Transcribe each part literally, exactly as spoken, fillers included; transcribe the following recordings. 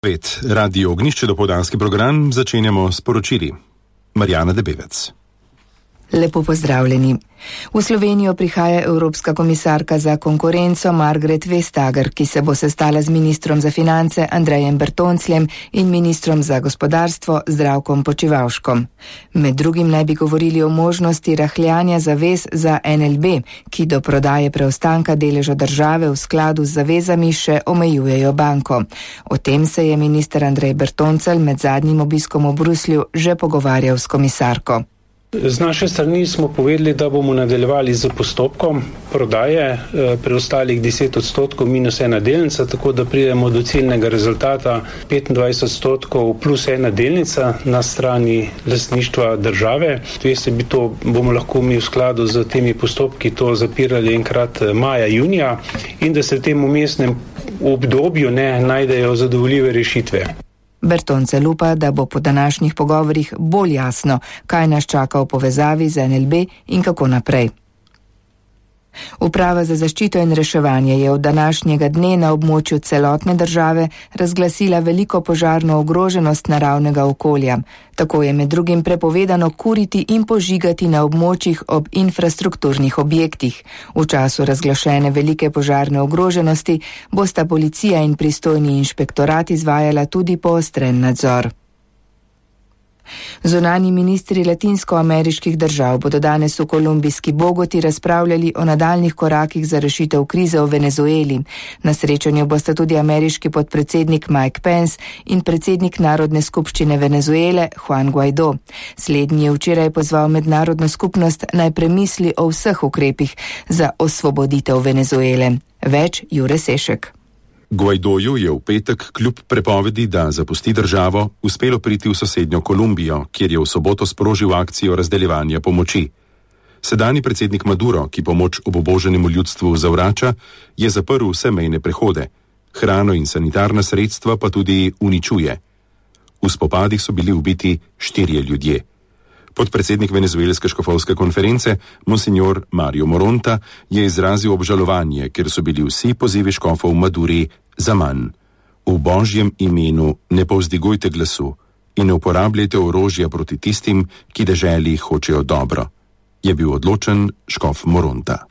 Pet, Radio Ognjišče, dopoldanski program, začenjamo s poročili. Marjana Debevec. Lepo pozdravljeni. V Slovenijo prihaja Evropska komisarka za konkurenco Margret Vestager, ki se bo sestala z ministrom za finance Andrejem Bertoncljem in ministrom za gospodarstvo Zdravkom Počivalškom. Med drugim naj bi govorili o možnosti rahljanja zavez za N L B, ki do prodaje preostanka deleža države v skladu z zavezami še omejujejo banko. O tem se je minister Andrej Bertoncelj med zadnjim obiskom v Bruslju že pogovarjal s komisarko. Z naše strani smo povedali, da bomo nadaljevali z postopkom prodaje preostalih deset odstotkov minus ena delnica, tako da pridemo do ciljnega rezultata petindvajset odstotkov plus ena delnica na strani lastništva države. Veste, bi to bomo lahko mi v skladu z temi postopki to zapirali enkrat maja, junija in da se v tem umestnem obdobju ne najdejo zadovoljive rešitve. Bertoncelj upa, da bo po današnjih pogovorih bolj jasno, kaj nas čaka v povezavi z N L B in kako naprej. Uprava za zaščito in reševanje je od današnjega dne na območju celotne države razglasila veliko požarno ogroženost naravnega okolja. Tako je med drugim prepovedano kuriti in požigati na območjih ob infrastrukturnih objektih. V času razglašene velike požarne ogroženosti bosta policija in pristojni inšpektorat izvajala tudi poostren nadzor. Zunanji ministri latinskoameriških držav bodo danes v kolumbijski Bogoti razpravljali o nadaljnih korakih za rešitev krize v Venezueli. Na srečanju bosta tudi ameriški podpredsednik Mike Pence in predsednik Narodne skupščine Venezuele Juan Guaido. Slednji je včeraj pozval mednarodno skupnost naj premisli o vseh ukrepih za osvoboditev Venezuele. Več Jure Sešek. Guaidoju je v petek kljub prepovedi, da zapusti državo, uspelo priti v sosednjo Kolumbijo, kjer je v soboto sprožil akcijo razdeljevanja pomoči. Sedanji predsednik Maduro, ki pomoč obuboženemu ljudstvu zavrača, je zaprl vse mejne prehode. Hrano in sanitarna sredstva pa tudi uničuje. V spopadih so bili ubiti štirje ljudje. Podpredsednik venezuelske škofovske konference, monsignor Mario Moronta, je izrazil obžalovanje, ker so bili vsi pozivi škofov Maduri za manj. V Božjem imenu ne povzdigujte glasu in ne uporabljajte orožja proti tistim, ki deželi hočejo dobro, je bil odločen škof Moronta.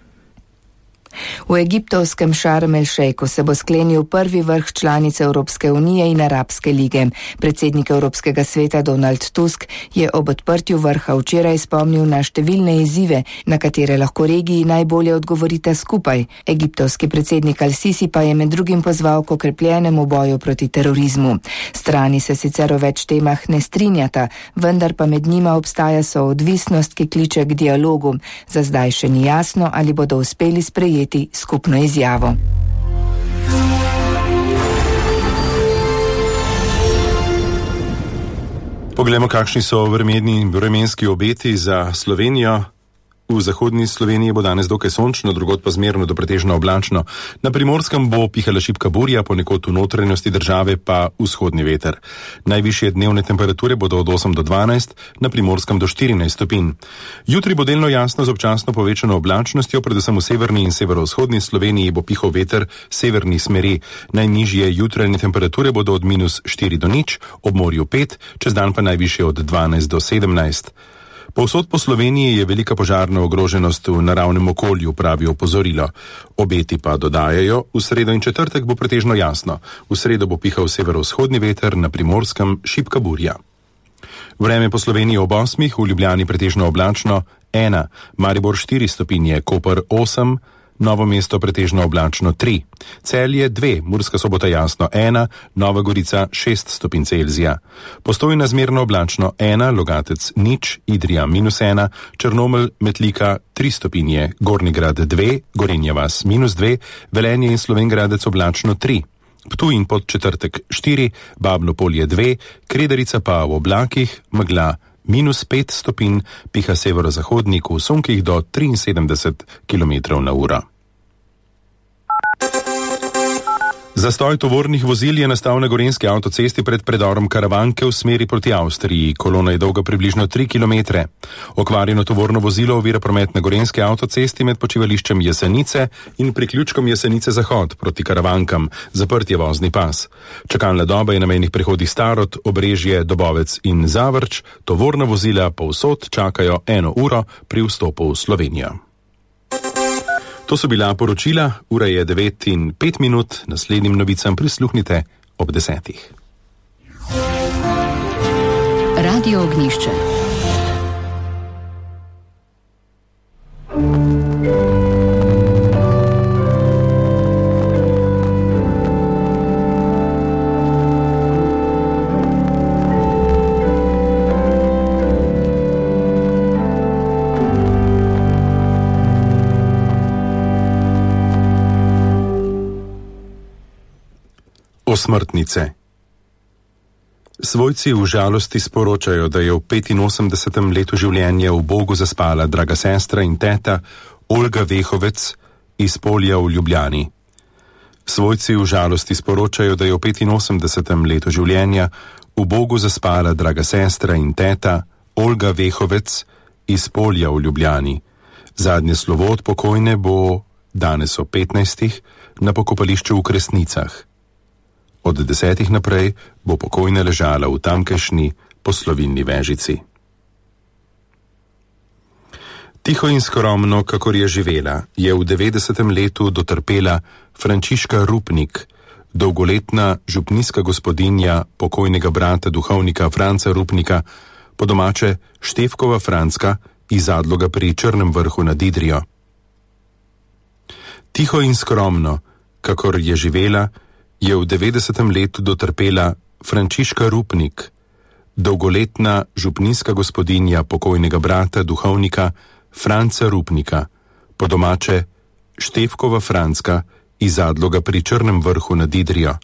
V egiptovskem Šarm el Šejku se bo sklenil prvi vrh članice Evropske unije in Arabske lige. Predsednik Evropskega sveta Donald Tusk je ob odprtju vrha včeraj spomnil na številne izzive, na katere lahko regiji najbolje odgovorita skupaj. Egiptovski predsednik Al-Sisi pa je med drugim pozval k okrepljenemu boju proti terorizmu. Strani se sicer o več temah ne strinjata, vendar pa med njima obstaja soodvisnost, ki kliče k dialogu. Za zdaj še ni jasno, ali bodo uspeli sprejeti skupno izjavo. Poglejmo, kakšni so vremenni in vremenski obeti za Slovenijo. V zahodni Sloveniji bo danes dokaj sončno, drugod pa zmerno do pretežno oblačno. Na Primorskem bo pihala šibka burja, ponekod v notranjosti države pa vzhodni veter. Najvišje dnevne temperature bodo od osem do dvanajst, na Primorskem do štirinajst stopinj. Jutri bo delno jasno z občasno povečano oblačnostjo, predvsem v severni in severovzhodni Sloveniji bo pihal veter severnih smeri. Najnižje jutranje temperature bodo od minus štiri do nič, ob morju pet, čez dan pa najvišje od dvanajst do sedemnajst. Povsod po Sloveniji je velika požarna ogroženost v naravnem okolju, pravi opozorilo. Obeti pa dodajajo, v sredo in četrtek bo pretežno jasno. V sredo bo pihal severovzhodni veter, na Primorskem šibka burja. Vreme po Sloveniji ob osmih, v Ljubljani pretežno oblačno ena, Maribor štiri stopinje, Koper osem, Novo mesto pretežno oblačno tri, Celje dve, Murska Sobota jasno ena, Nova Gorica šest stopinj Celzija. Postojna zmerno oblačno ena, Logatec nič, Idrija minus ena, Črnomelj, Metlika tri stopinje, Gornji Grad dve, Gorenja vas minus dve, Velenje in Slovenj Gradec oblačno tri. Ptuj in Podčetrtek štiri, Babno Polje dve, Kredarica pa v oblakih, megla minus pet stopinj, piha severozahodnik v sunkih do triinsedemdeset kilometrov na uro. Zastoj tovornih vozil je nastal na gorenjski avtocesti pred predorom Karavanke v smeri proti Avstriji. Kolona je dolga približno tri kilometre. Okvarjeno tovorno vozilo ovira promet na gorenjski avtocesti med počivališčem Jesenice in priključkom Jesenice Zahod proti Karavankam. Zaprt je vozni pas. Čakalna doba je na mejnih prehodih Starod, Obrežje, Dobovec in Zavrč. Tovorna vozila povsod čakajo eno uro pri vstopu v Slovenijo. To so bila poročila, ura je devet in pet minut, naslednjim novicam prisluhnite ob desetih. Radio Ognjišče. Osmrtnice. Svojci v žalosti sporočajo, da je v petinosemdesetem letu življenja v Bogu zaspala draga sestra in teta Olga Vehovec iz Polja v Ljubljani. Svojci v žalosti sporočajo, da je v petinosemdesetem letu življenja v Bogu zaspala draga sestra in teta Olga Vehovec iz Polja v Ljubljani. Zadnje slovo od pokojne bo danes o petnajstih na pokopališču v Kresnicah. Od desetih naprej bo pokojna ležala v tamkajšnji poslovilni vežici. Tiho in skromno, kakor je živela, je v devetdesetem letu dotrpela Frančiška Rupnik, dolgoletna župnijska gospodinja pokojnega brata duhovnika Franca Rupnika, po domače Štefkova Franska iz Zadloga pri Črnem vrhu nad Idrijo. Tiho in skromno, kakor je živela, je v devetdesetem letu dotrpela Frančiška Rupnik, dolgoletna župnijska gospodinja pokojnega brata duhovnika Franca Rupnika, po domače Štefkova Franska iz Zadloga pri Črnem vrhu nad Idrijo.